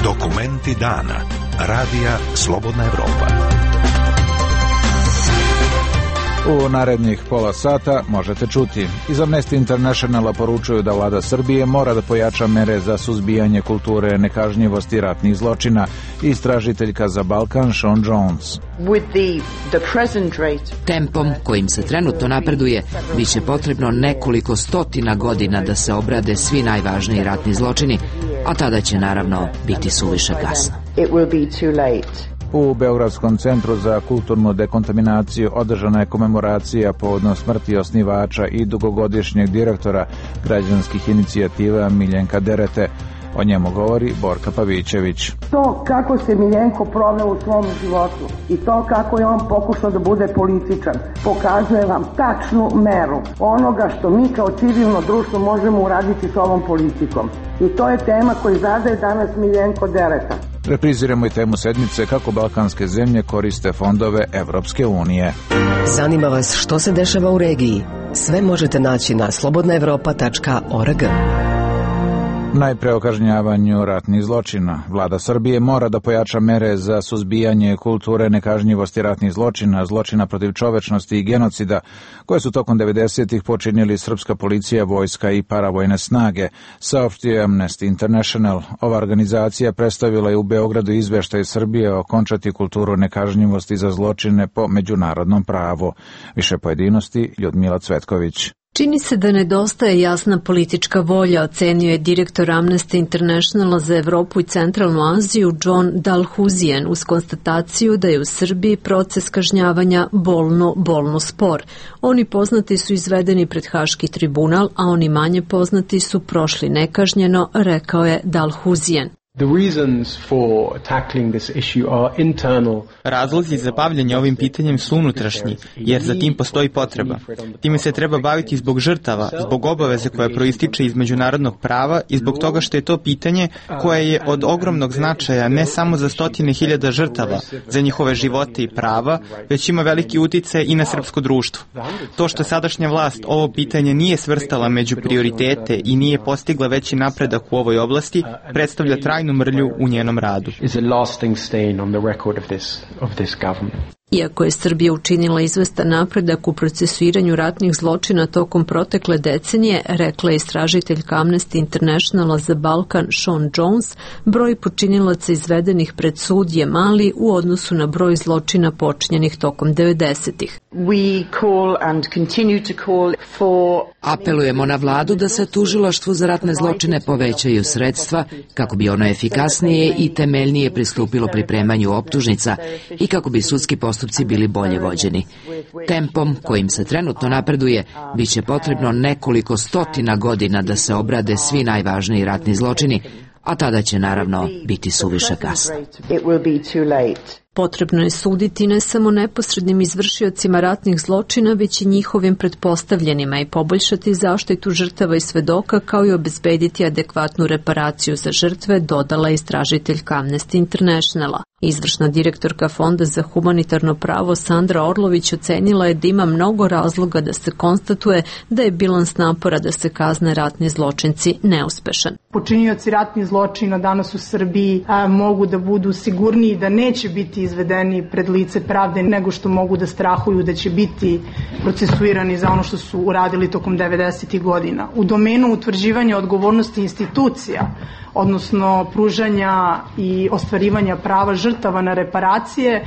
Dokumenti dana. Radija Slobodna Evropa. U narednih pola sata možete čuti. Iz Amnesty Internationala poručuju da vlada Srbije mora da pojača mere za suzbijanje kulture nekažnjivosti ratnih zločina. Istražiteljka za Balkan Sean Jones. Tempom kojim se trenutno napreduje, biće potrebno nekoliko stotina godina da se obrade svi najvažniji ratni zločini, a tada će naravno biti suviše kasno. U Beogradskom centru za kulturnu dekontaminaciju održana je komemoracija povodom smrti osnivača i dugogodišnjeg direktora građanskih inicijativa Miljenka Derete. O njemu govori Borka Pavićević. To kako se Miljenko proveo u svom životu i to kako je on pokušao da bude političan pokazuje vam tačnu meru onoga što mi kao civilno društvo možemo uraditi s ovom politikom. I to je tema koju zadaje danas Miljenko Dereta. Repriziramo i temu sedmice kako balkanske zemlje koriste fondove Evropske unije. Zanima vas što se dešava u regiji? Sve možete naći na slobodnaevropa.org. Najpre o kažnjavanju ratnih zločina. Vlada Srbije mora da pojača mere za suzbijanje kulture nekažnjivosti ratnih zločina, zločina protiv čovečnosti i genocida, koje su tokom 90-ih počinili srpska policija, vojska i paravojne snage, saopštio Amnesty International. Ova organizacija predstavila je u Beogradu izveštaj Srbije o končati kulturu nekažnjivosti za zločine po međunarodnom pravu. Više pojedinosti Ljudmila Cvetković. Čini se da nedostaje jasna politička volja, ocenio je direktor Amnesty Internationala za Evropu i Centralnu Aziju John Dalhuzian uz konstataciju da je u Srbiji proces kažnjavanja bolno spor. Oni poznati su izvedeni pred Haški tribunal, a oni manje poznati su prošli nekažnjeno, rekao je Dalhuzian. Razlozi za bavljanje ovim pitanjem su unutrašnji, jer za tim postoji potreba. Time se treba baviti zbog žrtava, zbog obaveze koja proističe iz međunarodnog prava i zbog toga što je to pitanje koje je od ogromnog značaja ne samo za stotine hiljada žrtava, za njihove živote i prava, već ima veliki uticaj i na srpsko društvo. To što sadašnja vlast ovo pitanje nije svrstala među prioritete i nije postigla veći napredak u ovoj oblasti, predstavlja trajnu mrlju u njenom radu. Iako je Srbija učinila izvestan napredak u procesuiranju ratnih zločina tokom protekle decenije, rekla je istražiteljka Amnesty Internationala za Balkan Sean Jones, broj počinilaca izvedenih pred sud je mali u odnosu na broj zločina počinjenih tokom 90-ih. Apelujemo na vladu da se tužilaštvu za ratne zločine povećaju sredstva kako bi ono efikasnije i temeljnije pristupilo pripremanju optužnica i kako bi sudski postupci bili bolje vođeni. Tempom kojim se trenutno napreduje, biće potrebno nekoliko stotina godina da se obrade svi najvažniji ratni zločini, a tada će naravno biti suviše kasno. Potrebno je suditi ne samo neposrednim izvršiocima ratnih zločina, već i njihovim pretpostavljenima i poboljšati zaštitu žrtava i svedoka, kao i obezbediti adekvatnu reparaciju za žrtve, dodala istražiteljka Amnesty Internationala. Izvršna direktorka Fonda za humanitarno pravo Sandra Orlović ocenila je da ima mnogo razloga da se konstatuje da je bilans napora da se kazne ratni zločinci neuspešan. Počinioci ratnih zločina danas u Srbiji mogu da budu sigurniji da neće biti izvedeni pred lice pravde nego što mogu da strahuju da će biti procesuirani za ono što su uradili tokom 90. godina. U domenu utvrđivanja odgovornosti institucija, odnosno pružanja i ostvarivanja prava žrtava na reparacije,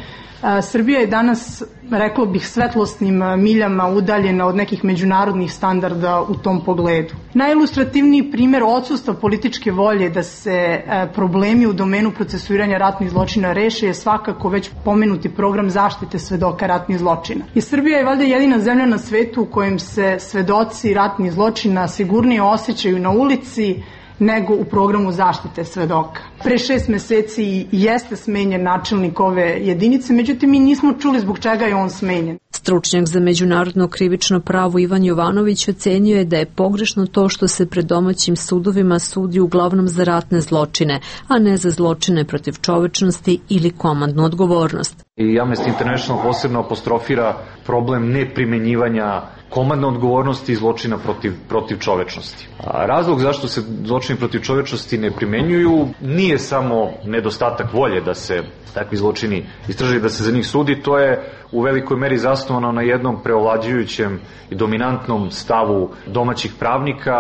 Srbija je danas, reklo bih, svetlosnim miljama udaljena od nekih međunarodnih standarda u tom pogledu. Najilustrativniji primjer odsustva političke volje da se problemi u domenu procesuiranja ratnih zločina reše je svakako već pomenuti program zaštite svedoka ratnih zločina. I Srbija je valjda jedina zemlja na svetu u kojem se svedoci ratnih zločina sigurnije osjećaju na ulici nego u programu zaštite svedoka. Pre 6 meseci jeste smenjen načelnik ove jedinice, međutim mi nismo čuli zbog čega je on smenjen. Stručnjak za međunarodno krivično pravo Ivan Jovanović ocenio je da je pogrešno to što se pred domaćim sudovima sudi uglavnom za ratne zločine, a ne za zločine protiv čovečnosti ili komandnu odgovornost. I Amnesty International posebno apostrofira problem neprimenjivanja komandna odgovornost i zločina protiv čovečnosti. A razlog zašto se zločini protiv čovečnosti ne primenjuju nije samo nedostatak volje da se takvi zločini istraže, da se za njih sudi, to je u velikoj meri zasnovano na jednom preovlađujućem i dominantnom stavu domaćih pravnika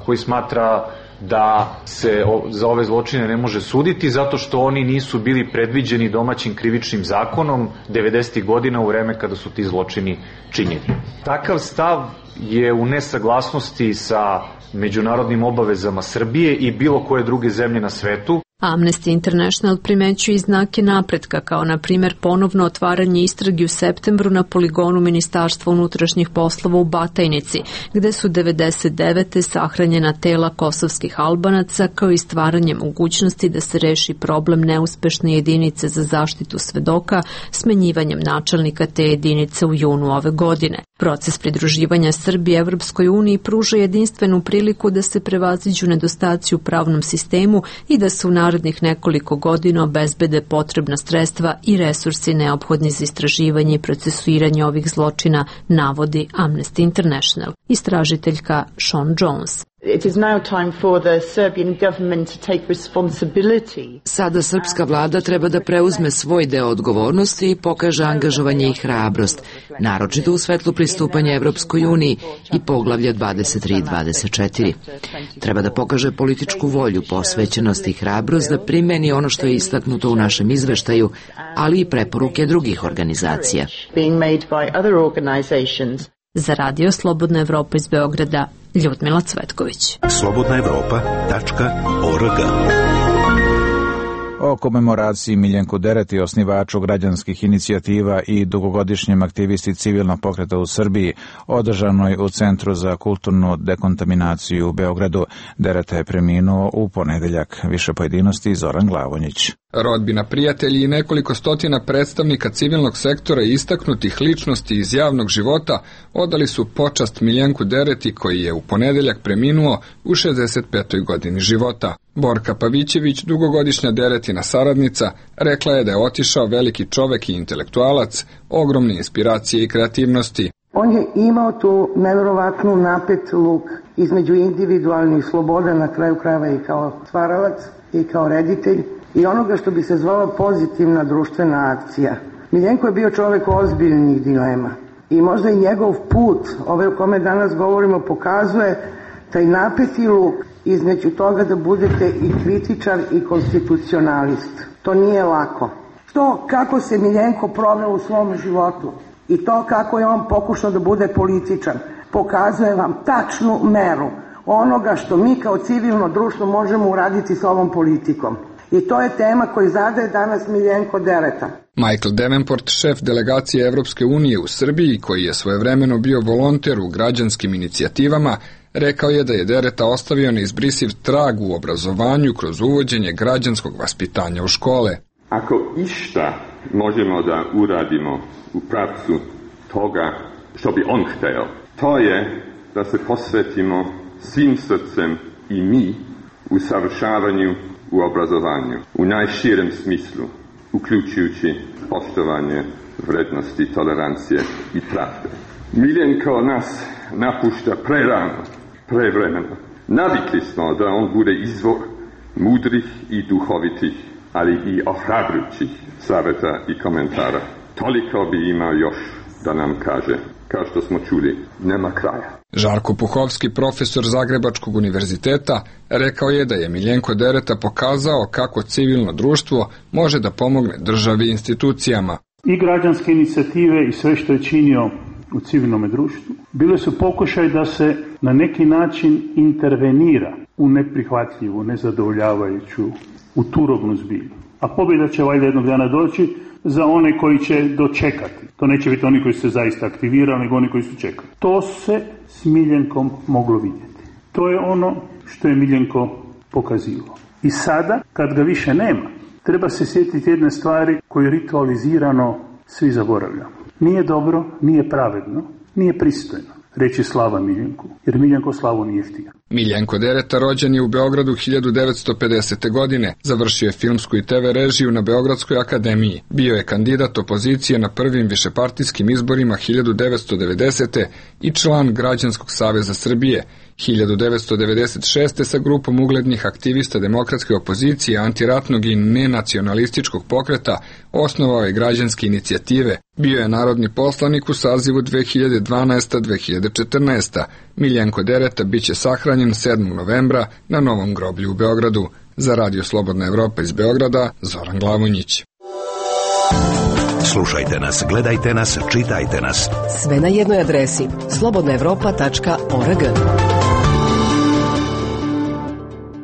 koji smatra da se za ove zločine ne može suditi zato što oni nisu bili predviđeni domaćim krivičnim zakonom 90. godina u vreme kada su ti zločini činjeni. Takav stav je u nesaglasnosti sa međunarodnim obavezama Srbije i bilo koje druge zemlje na svetu. Amnesty International primećuje i znake napretka, kao na primjer ponovno otvaranje istrage u septembru na poligonu Ministarstva unutrašnjih poslova u Batajnici, gde su 99. sahranjena tela kosovskih Albanaca, kao i stvaranje mogućnosti da se reši problem neuspešne jedinice za zaštitu svedoka smenjivanjem načelnika te jedinice u junu ove godine. Proces pridruživanja Srbije Evropskoj uniji pruža jedinstvenu priliku da se prevaziđu nedostaci u pravnom sistemu i da se u narednih nekoliko godina obezbede potrebna sredstva i resursi neophodni za istraživanje i procesuiranje ovih zločina, navodi Amnesty International. Istražiteljka Sean Jones. Sada srpska vlada treba da preuzme svoj deo odgovornosti i pokaže angažovanje i hrabrost, naročito u svetlu pristupanja Evropskoj uniji i poglavlja 23 i 24. Treba da pokaže političku volju, posvećenost i hrabrost da primeni ono što je istaknuto u našem izveštaju, ali i preporuke drugih organizacija. Za Radio Slobodna Evropa iz Beograda, Ljudmila Cvetković. slobodnaevropa.org. O komemoraciji Miljenku Dereti, osnivaču građanskih inicijativa i dugogodišnjem aktivisti civilnog pokreta u Srbiji, održanoj u Centru za kulturnu dekontaminaciju u Beogradu. Dereta je preminuo u ponedeljak. Više pojedinosti Zoran Glavonjić. Rodbina, prijatelji i nekoliko stotina predstavnika civilnog sektora i istaknutih ličnosti iz javnog života odali su počast Miljenku Dereti, koji je u ponedeljak preminuo u 65. godini života. Borka Pavićević, dugogodišnja Deretina saradnica, rekla je da je otišao veliki čovek i intelektualac, ogromne inspiracije i kreativnosti. On je imao tu nevjerovatnu napet luk između individualnih sloboda, na kraju krajeva i kao stvaralac i kao reditelj, i onoga što bi se zvala pozitivna društvena akcija. Miljenko je bio čovek ozbiljnih dilema i možda i njegov put, ove o kome danas govorimo, pokazuje taj napeti luk između toga da budete i kritičar i konstitucionalist. To nije lako. To kako se Miljenko proveo u svom životu i to kako je on pokušao da bude političan pokazuje vam tačnu meru onoga što mi kao civilno društvo možemo uraditi s ovom politikom. I to je tema koju zadaje danas Miljenko Dereta. Michael Davenport, šef delegacije Evropske unije u Srbiji, koji je svojevremeno bio volonter u građanskim inicijativama, rekao je da je Dereta ostavio neizbrisiv trag u obrazovanju kroz uvođenje građanskog vaspitanja u škole. Ako išta možemo da uradimo u pravcu toga što bi on hteo, to je da se posvetimo svim srcem i mi u savršavanju u obrazovanju, u najširem smislu, uključujući poštovanje vrednosti, tolerancije i pravde. Miljenko nas napušta prerano, prevremeno. Navikli smo da on bude izvor mudrih i duhovitih, ali i ohrabrujućih saveta i komentara. Toliko bi imao još da nam kaže. Kao što smo čuli, nema kraja. Žarko Puhovski, profesor Zagrebačkog univerziteta, rekao je da je Miljenko Dereta pokazao kako civilno društvo može da pomogne državi i institucijama. I građanske inicijative i sve što je činio u civilnom društvu bile su pokušaj da se na neki način intervenira u neprihvatljivu, nezadovoljavajuću, u turobnu zbilju. A pobjeda će valjda jednog dana doći za one koji će dočekati. To neće biti oni koji su se zaista aktivirali, nego oni koji su čekali. To se s Miljenkom moglo vidjeti. To je ono što je Miljenko pokazivao. I sada, kad ga više nema, treba se sjetiti jedne stvari koju ritualizirano svi zaboravljamo. Nije dobro, nije pravedno, nije pristojno. reći slava Miljenku, jer Miljenko slavu nije htio. Miljenko Dereta rođen je u Beogradu 1950. godine, završio je filmsku i TV režiju na Beogradskoj akademiji. Bio je kandidat opozicije na prvim višepartijskim izborima 1990. i član Građanskog saveza Srbije. 1996. sa grupom uglednih aktivista demokratske opozicije, antiratnog i nenacionalističkog pokreta osnovao je građanske inicijative. Bio je narodni poslanik u sazivu 2012-2014. Miljenko Dereta biće sahranjen 7. novembra na Novom groblju u Beogradu. Za Radio Slobodna Evropa iz Beograda, Zoran Glavonjić. Slušajte nas, gledajte nas, čitajte nas. Sve na jednoj adresi slobodnaevropa.org.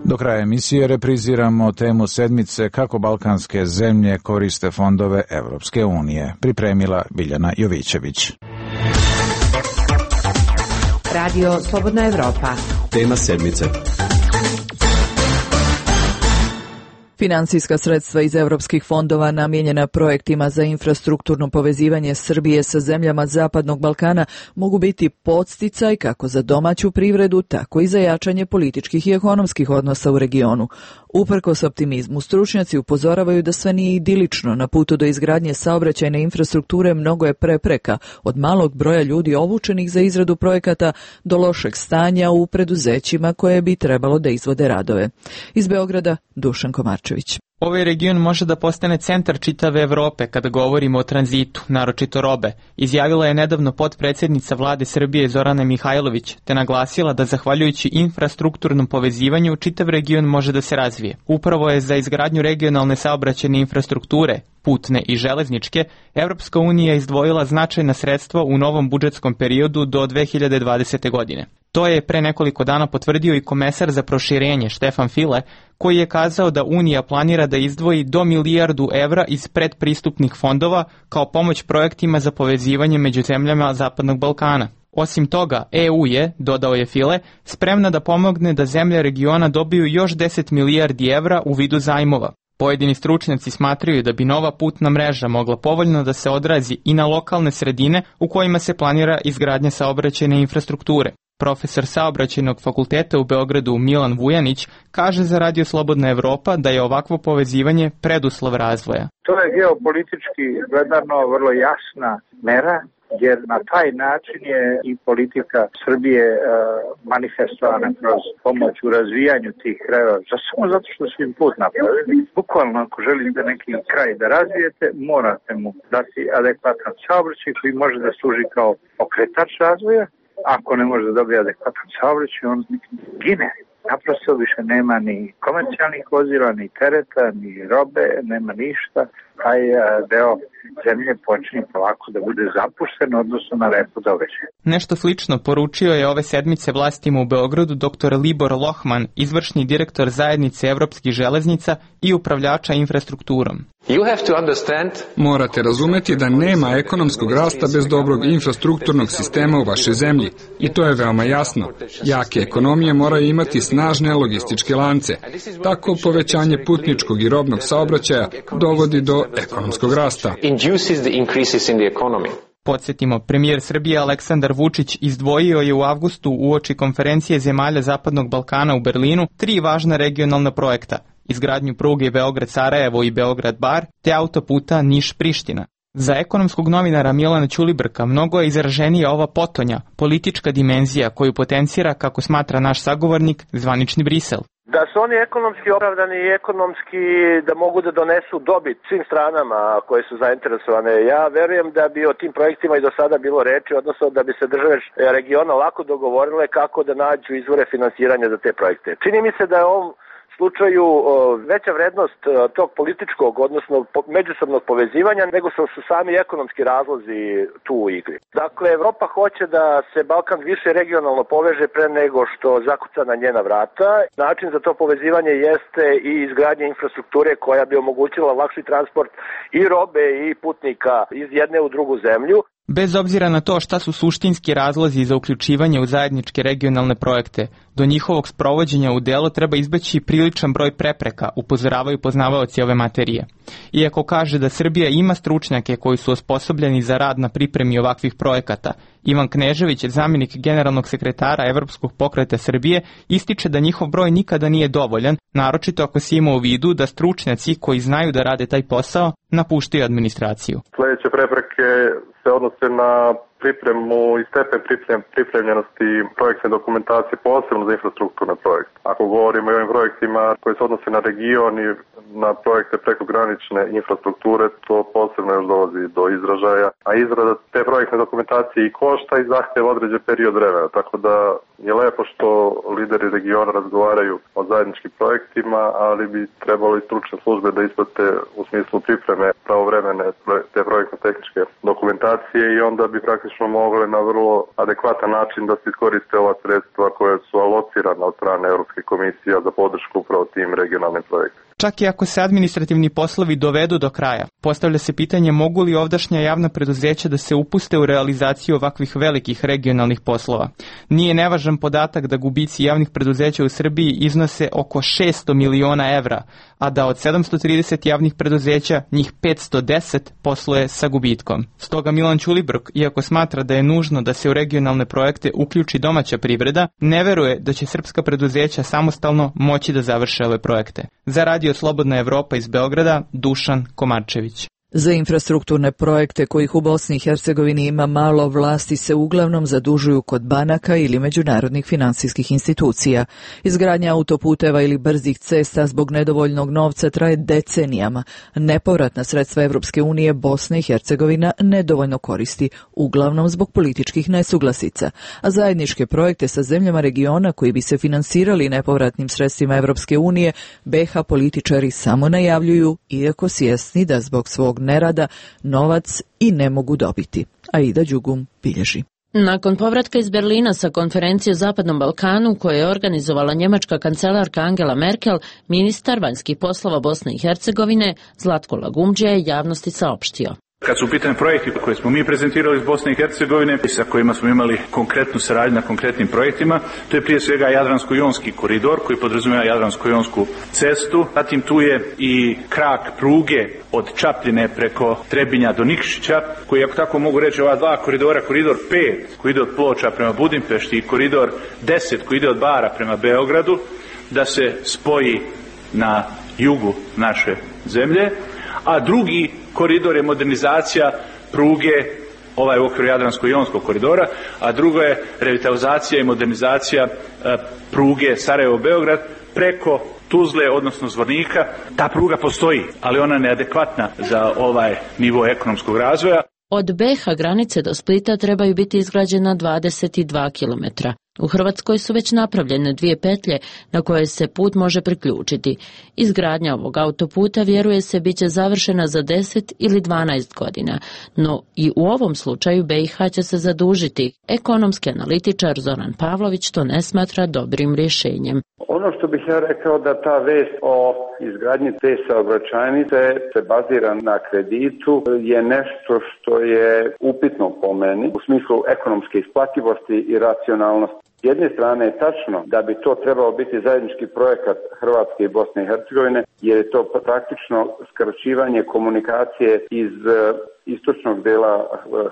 Do kraja emisije repriziramo temu sedmice kako balkanske zemlje koriste fondove Evropske unije. Pripremila Biljana Jovićević. Radio Slobodna Evropa. Tema sedmice. Finansijska sredstva iz evropskih fondova namijenjena projektima za infrastrukturno povezivanje Srbije sa zemljama Zapadnog Balkana mogu biti podsticaj kako za domaću privredu, tako i za jačanje političkih i ekonomskih odnosa u regionu. Uprkos optimizmu, stručnjaci upozoravaju da sve nije idilično. Na putu do izgradnje saobraćajne infrastrukture mnogo je prepreka, od malog broja ljudi obučenih za izradu projekata do lošeg stanja u preduzećima koje bi trebalo da izvode radove. Iz Beograda, Dušan Komarčević. Ovaj region može da postane centar čitave Evrope kada govorimo o tranzitu, naročito robe, izjavila je nedavno potpredsjednica vlade Srbije Zorana Mihajlović, te naglasila da zahvaljujući infrastrukturnom povezivanju čitav region može da se razvije. Upravo je za izgradnju regionalne saobraćajne infrastrukture, putne i železničke, Evropska unija izdvojila značajna sredstva u novom budžetskom periodu do 2020. godine. To je pre nekoliko dana potvrdio i komesar za proširenje Štefan File, koji je kazao da Unija planira da izdvoji do 1 milijardu evra iz predpristupnih fondova kao pomoć projektima za povezivanje među zemljama Zapadnog Balkana. Osim toga, EU je, dodao je File, spremna da pomogne da zemlje regiona dobiju još 10 milijardi evra u vidu zajmova. Pojedini stručnjaci smatraju da bi nova putna mreža mogla povoljno da se odrazi i na lokalne sredine u kojima se planira izgradnja saobraćajne infrastrukture. Profesor saobraćajnog fakulteta u Beogradu Milan Vujanić kaže za Radio Slobodna Evropa da je ovakvo povezivanje preduslov razvoja. To je geopolitički gledano vrlo jasna mera, jer na taj način je i politika Srbije manifestovana kroz pomoć u razvijanju tih krajeva, samo zato što su im put napravili. Bukvalno ako želite neki kraj da razvijete, morate mu dati adekvatan saobraćaj koji može da služi kao pokretač razvoja. Ako ne može da dobije adekvatan saobraćaj, on gine. Naprosto više nema ni komercijalnih vozila, ni tereta, ni robe, nema ništa. Taj deo zemlje počinje polako da bude zapušten, odnosno na repu događaja. Nešto slično poručio je ove sedmice vlastima u Beogradu dr. Libor Lohman, izvršni direktor zajednice Evropskih železnica i upravljača infrastrukturom. Morate razumeti da nema ekonomskog rasta bez dobrog infrastrukturnog sistema u vašoj zemlji. I to je veoma jasno. Jake ekonomije moraju imati snažne logističke lance. Tako povećanje putničkog i robnog saobraćaja dovodi do ekonomskog rasta. Podsjetimo, premijer Srbije Aleksandar Vučić izdvojio je u avgustu uoči konferencije zemalja Zapadnog Balkana u Berlinu 3 važna regionalna projekta: izgradnju pruge Beograd-Sarajevo i Beograd-Bar, te autoputa Niš-Priština. Za ekonomskog novinara Milana Ćulibrka mnogo je izraženija ova potonja, politička dimenzija koju potencira, kako smatra naš sagovornik, zvanični Brisel. Da su oni ekonomski opravdani i ekonomski da mogu da donesu dobit svim stranama koje su zainteresovane. Ja verujem da bi o tim projektima i do sada bilo reči, odnosno da bi se države regiona lako dogovorile kako da nađu izvore finansiranja za te projekte. Čini mi se da je ovom slučaju veća vrednost tog političkog, odnosno međusobnog povezivanja, nego su sami ekonomski razlozi tu u igri. Dakle, Evropa hoće da se Balkan više regionalno poveže pre nego što zakuca na njena vrata. Način za to povezivanje jeste i izgradnja infrastrukture koja bi omogućila lakši transport i robe i putnika iz jedne u drugu zemlju. Bez obzira na to šta su suštinski razlozi za uključivanje u zajedničke regionalne projekte, do njihovog sprovođenja u delo treba izbeći priličan broj prepreka, upozoravaju poznavaoci ove materije. Iako kaže da Srbija ima stručnjake koji su osposobljeni za rad na pripremi ovakvih projekata, Ivan Knežević, zamjenik generalnog sekretara Evropskog pokreta Srbije, ističe da njihov broj nikada nije dovoljan, naročito ako se ima u vidu da stručnjaci koji znaju da rade taj posao napuštaju administraciju. Sljedeće prepreke se odnose na pripremu i stepen pripremljenosti projektne dokumentacije, posebno za infrastrukturne projekte. Ako govorimo o ovim projektima koji se odnose na region i na projekte prekogranične infrastrukture, to posebno još dolazi do izražaja, a izrada te projektne dokumentacije i košta i zahtjeva određen period vremena, tako da je lepo što lideri regiona razgovaraju o zajedničkim projektima, ali bi trebalo i stručne službe da isprate u smislu pripreme pravovremene te projektno-tehničke dokumentacije i onda bi praktično mogle na vrlo adekvatan način da se iskoriste ova sredstva koje su alocirana od strane Europske komisije za podršku upravo tim regionalnim projektima. Čak i ako se administrativni poslovi dovedu do kraja, postavlja se pitanje mogu li ovdašnja javna preduzeća da se upuste u realizaciju ovakvih velikih regionalnih poslova. Nije nevažan podatak da gubici javnih preduzeća u Srbiji iznose oko 600 miliona evra, a da od 730 javnih preduzeća njih 510 posluje sa gubitkom. Stoga Milan Ćulibrk, iako smatra da je nužno da se u regionalne projekte uključi domaća privreda, ne veruje da će srpska preduzeća samostalno moći da završe ove projekte. Za Radio Slobodna Evropa iz Beograda, Dušan Komarčević. Za infrastrukturne projekte kojih u Bosni i Hercegovini ima malo, vlasti se uglavnom zadužuju kod banaka ili međunarodnih finansijskih institucija. Izgradnja autoputeva ili brzih cesta zbog nedovoljnog novca traje decenijama. Nepovratna sredstva Evropske unije Bosna i Hercegovina nedovoljno koristi, uglavnom zbog političkih nesuglasica, a zajedničke projekte sa zemljama regiona koji bi se finansirali nepovratnim sredstvima Evropske unije, BiH političari samo najavljuju, iako svjesni da zbog svog nerada novac i ne mogu dobiti. Aida Đugum bilježi. Nakon povratka iz Berlina sa konferencije o Zapadnom Balkanu koje je organizovala njemačka kancelarka Angela Merkel, ministar vanjskih poslova Bosne i Hercegovine Zlatko Lagumdžija je javnosti saopštio. Kad su u pitanju projekti koje smo mi prezentirali iz Bosne i Hercegovine i sa kojima smo imali konkretnu saradnju na konkretnim projektima, to je prije svega Jadransko-jonski koridor koji podrazumijeva Jadransko-jonsku cestu, zatim tu je i krak pruge od Čapljine preko Trebinja do Nikšića, koji, ako tako mogu reći, ova dva koridora, koridor 5 koji ide od Ploča prema Budimpešti i koridor 10 koji ide od Bara prema Beogradu, da se spoji na jugu naše zemlje, a drugi koridor je modernizacija pruge, ovaj u okviru Jadransko-jonskog koridora, a drugo je revitalizacija i modernizacija pruge Sarajevo-Beograd preko Tuzle, odnosno Zvornika. Ta pruga postoji, ali ona je neadekvatna za ovaj nivo ekonomskog razvoja. Od BiH granice do Splita trebaju biti izgrađena 22 kilometra. U Hrvatskoj su već napravljene 2 petlje na koje se put može priključiti. Izgradnja ovog autoputa, vjeruje se, bit će završena za 10 ili 12 godina, no i u ovom slučaju BiH će se zadužiti. Ekonomski analitičar Zoran Pavlović to ne smatra dobrim rješenjem. Ono što bih ja rekao da ta vest o izgradnji te saobraćajnice se bazira na kreditu je nešto što je upitno po meni u smislu ekonomske isplativosti i racionalnosti. S jedne strane je tačno da bi to trebao biti zajednički projekat Hrvatske i Bosne i Hercegovine, jer je to praktično skraćivanje komunikacije iz istočnog dela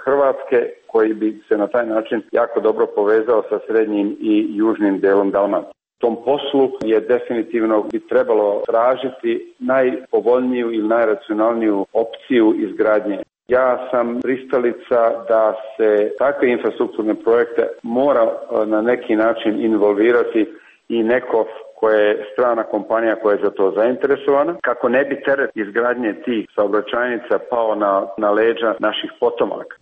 Hrvatske koji bi se na taj način jako dobro povezao sa srednjim i južnim delom Dalmacije. Tom poslu je definitivno bi trebalo tražiti najpovoljniju ili najracionalniju opciju izgradnje. Ja sam pristalica da se takve infrastrukturne projekte mora na neki način involvirati i neko koja je strana kompanija koja je za to zainteresovana, kako ne bi teret izgradnje tih saobraćajnica pao na leđa naših potomaka.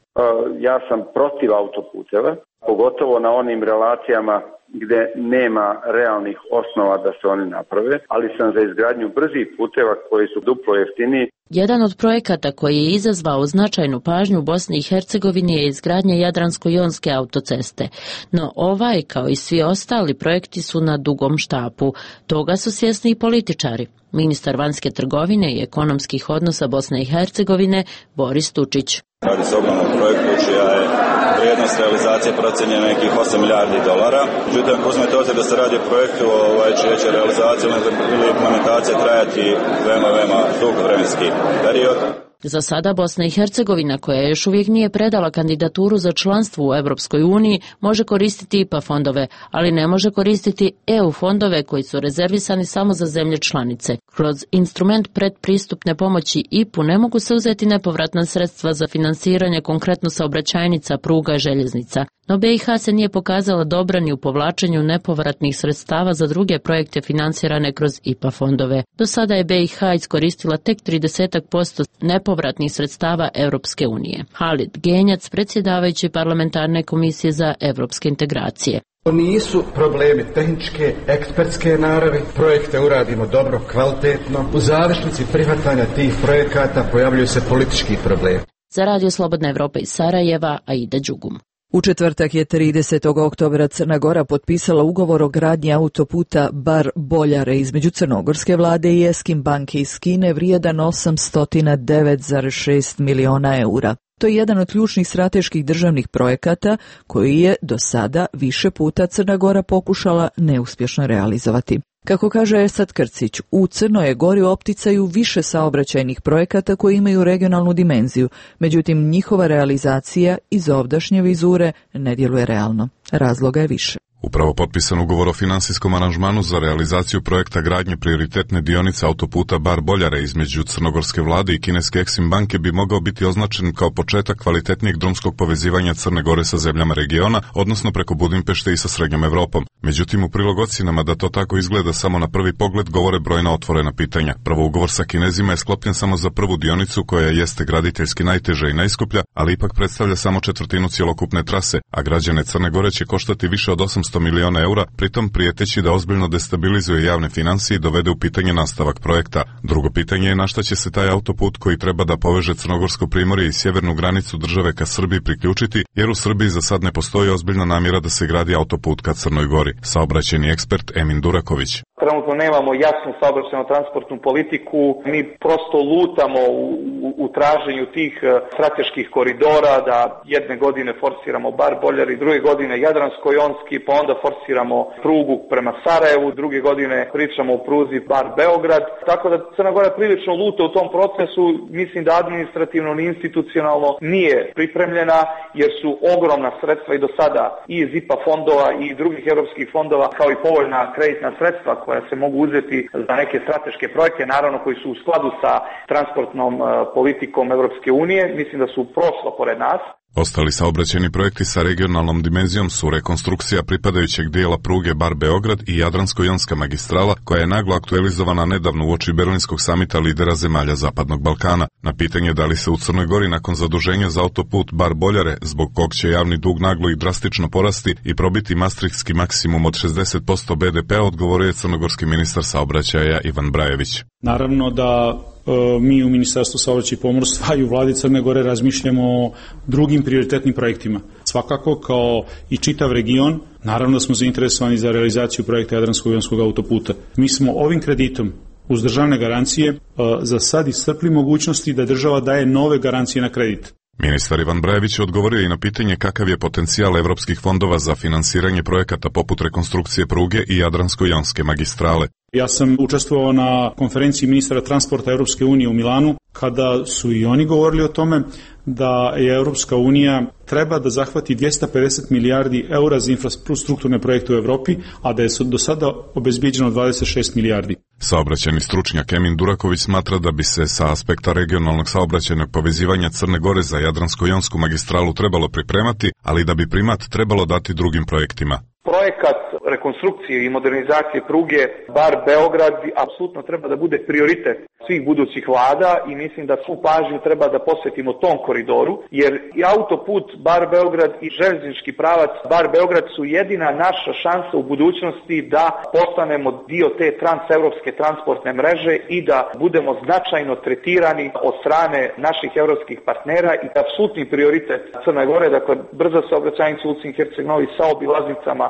Ja sam protiv autoputeva, pogotovo na onim relacijama gdje nema realnih osnova da se oni naprave, ali sam za izgradnju brzih puteva koji su duplo jeftiniji. Jedan od projekata koji je izazvao značajnu pažnju u Bosni i Hercegovini je izgradnja Jadransko-jonske autoceste. No ovaj, kao i svi ostali projekti, su na dugom štapu. Toga su svjesni i političari. Ministar vanjske trgovine i ekonomskih odnosa Bosne i Hercegovine Boris Tučić. Radi se o ogromnom projektu čija je vrijednost realizacije procijenjena nekih 8 milijardi dolara. Međutim, ako uzmete obzir da se radi o projektu čija će realizacija ili implementacija trajati veoma dug vremenski period, Za sada Bosna i Hercegovina, koja još uvijek nije predala kandidaturu za članstvo u Europskoj uniji, može koristiti IPA fondove, ali ne može koristiti EU fondove koji su rezervisani samo za zemlje članice. Kroz instrument predpristupne pomoći IPU ne mogu se uzeti nepovratna sredstva za finansiranje konkretno saobraćajnica, pruga i željeznica. No BiH se nije pokazala dobra ni u povlačenju nepovratnih sredstava za druge projekte finansirane kroz IPA fondove. Do sada je BiH iskoristila tek 30% nepovratnih sredstava Europske unije. Halid Genjac, predsjedavajući parlamentarne komisije za evropske integracije. To nisu problemi tehničke, ekspertske naravi, projekte uradimo dobro, kvalitetno. U završnici prihvatanja tih projekata pojavljuju se politički problemi. Za Radio Slobodna Evropa iz Sarajeva, Aida Đugum. U četvrtak je 30. oktobra Crna Gora potpisala ugovor o gradnji autoputa Bar-Boljare između crnogorske vlade i Eskim banke iz Kine vrijedan 809,6 miliona eura. To je jedan od ključnih strateških državnih projekata koji je do sada više puta Crna Gora pokušala neuspješno realizovati. Kako kaže Esad Krcić, u Crnoj Gori opticaju više saobraćajnih projekata koji imaju regionalnu dimenziju, međutim njihova realizacija iz ovdašnje vizure ne djeluje realno. Razloga je više. Upravo potpisan ugovor o finansijskom aranžmanu za realizaciju projekta gradnje prioritetne dionice autoputa Bar-Boljare između crnogorske vlade i kineske Eksim banke bi mogao biti označen kao početak kvalitetnijeg drumskog povezivanja Crne Gore sa zemljama regiona, odnosno preko Budimpešte i sa Srednjom Evropom. Međutim, u prilog ocjenama da to tako izgleda samo na prvi pogled govore brojna otvorena pitanja. Prvo, ugovor sa Kinezima je sklopljen samo za prvu dionicu koja jeste graditeljski najteža i najskuplja, ali ipak predstavlja samo četvrtinu cjelokupne trase, a građane Crne Gore će koštati više od 800 miliona eura, pritom prijeteći da ozbiljno destabilizuje javne financije i dovede u pitanje nastavak projekta. Drugo pitanje je na šta će se taj autoput koji treba da poveže Crnogorsko primorje i sjevernu granicu države ka Srbiji priključiti, jer u Srbiji za sad ne postoji ozbiljna namjera da se gradi autoput ka Crnoj Gori. Saobraćajni ekspert Emin Duraković. Trenutno nemamo jasnu saobraćajno-transportnu politiku, mi prosto lutamo u traženju tih strateških koridora, da jedne godine forsiramo Bar-Boljare i druge godine Jadransko-Jonski, pa onda forsiramo prugu prema Sarajevu, druge godine pričamo o pruzi Bar-Beograd, tako da Crna Gora prilično luta u tom procesu, mislim da administrativno ni institucionalno nije pripremljena, jer su ogromna sredstva i do sada i iz IPA fondova i drugih europskih fondova, kao i povoljna kreditna sredstva koja se mogu uzeti za neke strateške projekte, naravno koji su u skladu sa transportnom politikom Evropske unije, mislim da su prošlo pored nas. Ostali saobraćajni projekti sa regionalnom dimenzijom su rekonstrukcija pripadajućeg dijela pruge Bar-Beograd i Jadransko-Jonska magistrala, koja je naglo aktualizovana nedavno uoči Berlinskog samita lidera zemalja Zapadnog Balkana. Na pitanje da li se u Crnoj Gori nakon zaduženja za autoput Bar-Boljare, zbog kog će javni dug naglo i drastično porasti i probiti maastrichtski maksimum od 60% BDP-a, odgovorio je crnogorski ministar saobraćaja Ivan Brajević. Naravno da mi u Ministarstvu saobraćaja i pomorstva i u vladi Crne Gore razmišljamo o drugim prioritetnim projektima. Svakako, kao i čitav region, naravno da smo zainteresovani za realizaciju projekta Jadransko-Jonskog autoputa. Mi smo ovim kreditom uz državne garancije za sad iscrpli mogućnosti da država daje nove garancije na kredit. Ministar Ivan Brajević odgovorio i na pitanje kakav je potencijal evropskih fondova za finansiranje projekata poput rekonstrukcije pruge i Jadransko-Jonske magistrale. Ja sam učestvovao na konferenciji ministara transporta Europske unije u Milanu, kada su i oni govorili o tome da je Europska unija treba da zahvati 250 milijardi eura za infrastrukturne projekte u Evropi, a da je do sada obezbijeđeno 26 milijardi. Saobraćajni stručnjak Emin Duraković smatra da bi se sa aspekta regionalnog saobraćajnog povezivanja Crne Gore za Jadransko-Jonsku magistralu trebalo pripremati, ali da bi primat trebalo dati drugim projektima. Projekat rekonstrukcije i modernizacije pruge Bar-Beograd apsolutno treba da bude prioritet svih budućih vlada i mislim da svu pažnju treba da posvetimo tom koridoru, jer i autoput Bar-Beograd i željeznički pravac Bar-Beograd su jedina naša šansa u budućnosti da postanemo dio te transevropske transportne mreže i da budemo značajno tretirani od strane naših evropskih partnera i apsolutni prioritet Crne Gore, dakle brza saobraćajnica u Ulcinj Herceg-Novi sa obilaznicama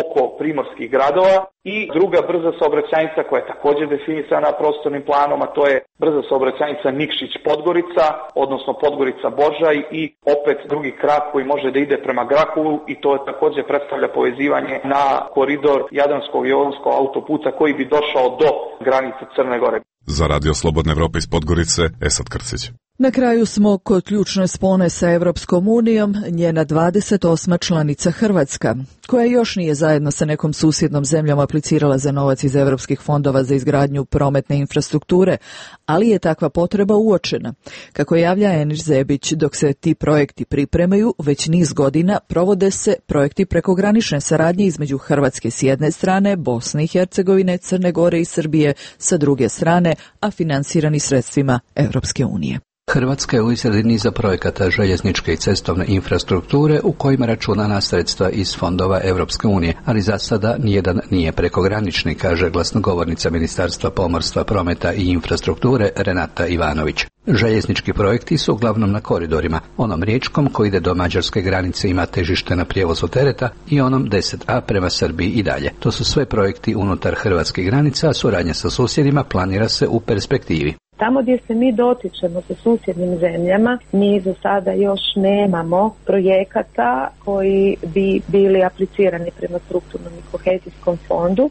oko primorskih gradova i druga brza saobraćajnica koja je također definisana prostornim planom, a to je brza saobraćajnica Nikšić-Podgorica, odnosno Podgorica-Božaj i opet drugi krak koji može da ide prema Grahovu i to također predstavlja povezivanje na koridor Jadransko-Jonskog autoputa koji bi došao do granice Crne Gore. Za Radio Slobodne Evrope iz Podgorice, Esad Krcić. Na kraju smo kod ključne spone sa Evropskom unijom, njena 28. članica Hrvatska, koja još nije zajedno sa nekom susjednom zemljom aplicirala za novac iz evropskih fondova za izgradnju prometne infrastrukture, ali je takva potreba uočena. Kako javlja Enis Zebić, dok se ti projekti pripremaju, već niz godina provode se projekti prekogranične saradnje između Hrvatske s jedne strane, Bosne i Hercegovine, Crne Gore i Srbije sa druge strane, a finansirani sredstvima Evropske unije. Hrvatska je u izradi niza projekata željezničke i cestovne infrastrukture u kojima računa na sredstva iz fondova Evropske unije, ali za sada nijedan nije prekogranični, kaže glasnogovornica Ministarstva pomorstva, prometa i infrastrukture Renata Ivanović. Željeznički projekti su uglavnom na koridorima, onom riječkom koji ide do mađarske granice ima težište na prijevozu tereta i onom 10A prema Srbiji i dalje. To su sve projekti unutar hrvatskih granica, a suradnja sa susjedima planira se u perspektivi. Tamo gdje se mi dotičemo sa susjednim zemljama, mi za sada još nemamo projekata koji bi bili aplicirani prema strukturnom i kohezijskom fondu,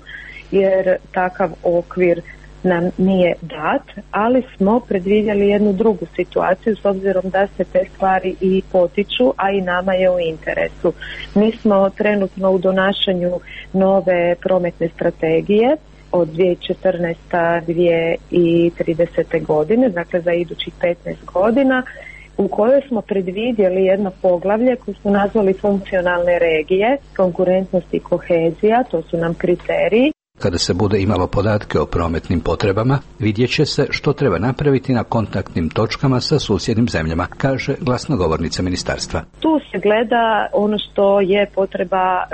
jer takav okvir nam nije dat, ali smo predvidjeli jednu drugu situaciju s obzirom da se te stvari i potiču, a i nama je u interesu. Mi smo trenutno u donašanju nove prometne strategije od 2014-2030. godine, dakle za idućih 15 godina, u kojoj smo predvidjeli jedno poglavlje koje smo nazvali funkcionalne regije, konkurentnost i kohezija, to su nam kriteriji. Kada se bude imalo podatke o prometnim potrebama, vidjet će se što treba napraviti na kontaktnim točkama sa susjednim zemljama, kaže glasnogovornica ministarstva. Tu se gleda ono što je potreba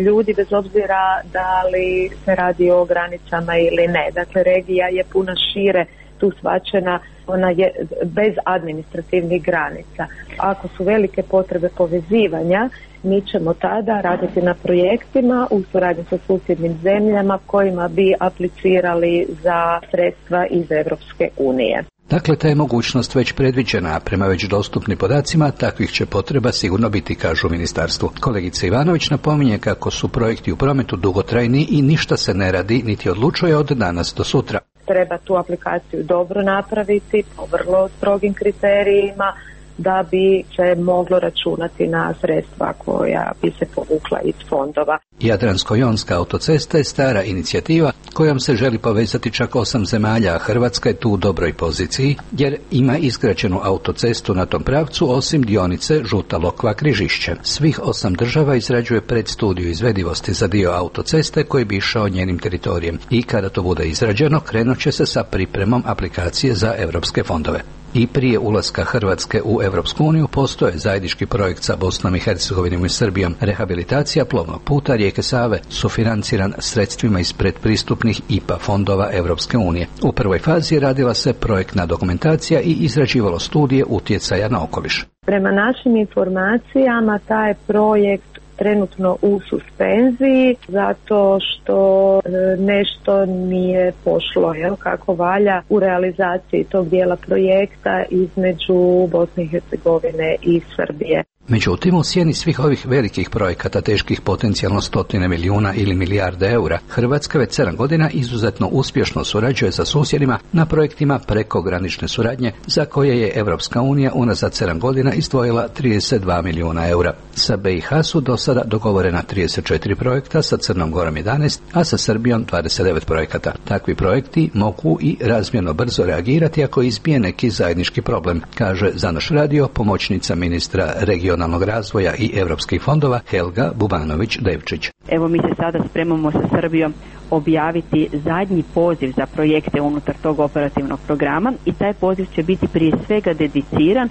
ljudi, bez obzira da li se radi o granicama ili ne. Dakle, regija je puno šire tu shvaćena, ona je bez administrativnih granica. Ako su velike potrebe povezivanja, mi ćemo tada raditi na projektima u suradnji sa susjednim zemljama kojima bi aplicirali za sredstva iz Evropske unije. Dakle, ta je mogućnost već predviđena, a prema već dostupnim podacima takvih će potreba sigurno biti, kažu u ministarstvu. Kolegica Ivanović napominje kako su projekti u prometu dugotrajni i ništa se ne radi niti odlučuje od danas do sutra. Treba tu aplikaciju dobro napraviti po vrlo strogim kriterijima da bi se moglo računati na sredstva koja bi se povukla iz fondova. Jadransko-jonska autocesta je stara inicijativa kojom se želi povezati čak 8 zemalja, a Hrvatska je tu u dobroj poziciji jer ima izgrađenu autocestu na tom pravcu osim dionice Žuta Lokva-Križišće. Svih 8 država izrađuje predstudiju izvedivosti za dio autoceste koji bi išao njenim teritorijem i kada to bude izrađeno krenut će se sa pripremom aplikacije za evropske fondove. I prije ulaska Hrvatske u Evropsku uniju postoje zajednički projekt sa Bosnom i Hercegovinom i Srbijom. Rehabilitacija plovnog puta rijeke Save sufinanciran sredstvima iz predpristupnih IPA fondova Evropske unije. U prvoj fazi radila se projektna dokumentacija i izrađivalo studije utjecaja na okoliš. Prema našim informacijama taj projekt trenutno u suspenziji zato što nešto nije pošlo kako valja u realizaciji tog dijela projekta između Bosne i Hercegovine i Srbije. Međutim, u sjeni svih ovih velikih projekata teških potencijalno 100 milijuna ili milijarde eura, Hrvatska već 7 godina izuzetno uspješno surađuje sa susjedima na projektima prekogranične suradnje za koje je Evropska unija unazad 7 godina izdvojila 32 milijuna eura. Sa BiH su do sada dogovorena 34 projekta, sa Crnom Gorom 11, a sa Srbijom 29 projekata. Takvi projekti mogu i razmjerno brzo reagirati ako izbije neki zajednički problem, kaže za naš radio pomoćnica ministra regionalnog razvoja i europskih fondova Helga Bubanović-Devčić. Evo mi se sada spremamo sa Srbijom objaviti zadnji poziv za projekte unutar tog operativnog programa i taj poziv će biti prije svega dediciran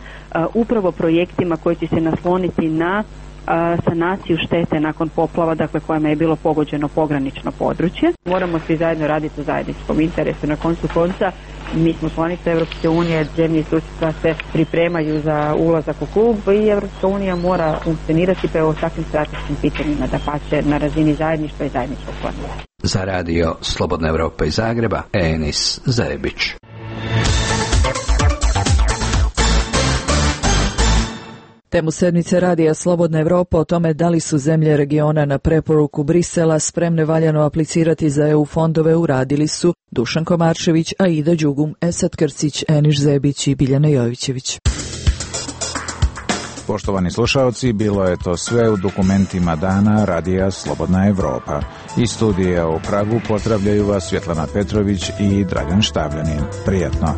upravo projektima koji će se nasloniti na sanaciju štete nakon poplava, dakle kojima je bilo pogođeno pogranično područje. Moramo svi zajedno raditi u zajedničkom interesu. Na koncu konca mi smo članice Evropske unije, zemlje i susjedstva se pripremaju za ulazak u klub i Evropska unija mora funkcionirati pa o takvim strateškim pitanjima da pače na razini zajedništva i zajedničkog planiranja. Za radio Slobodna Evropa iz Zagreba, Enis Zebić. Temu sedmice radija Slobodna Evropa o tome da li su zemlje regiona na preporuku Brisela spremne valjano aplicirati za EU fondove uradili su Dušan Komarčević, Aida Đugum, Esad Krcić, Eniš Zebić i Biljana Jovićević. Poštovani slušaoci, bilo je to sve u dokumentima dana radija Slobodna Evropa. Iz studija u Pragu pozdravljaju vas Svjetlana Petrović i Dragan Štavljanin. Prijatno!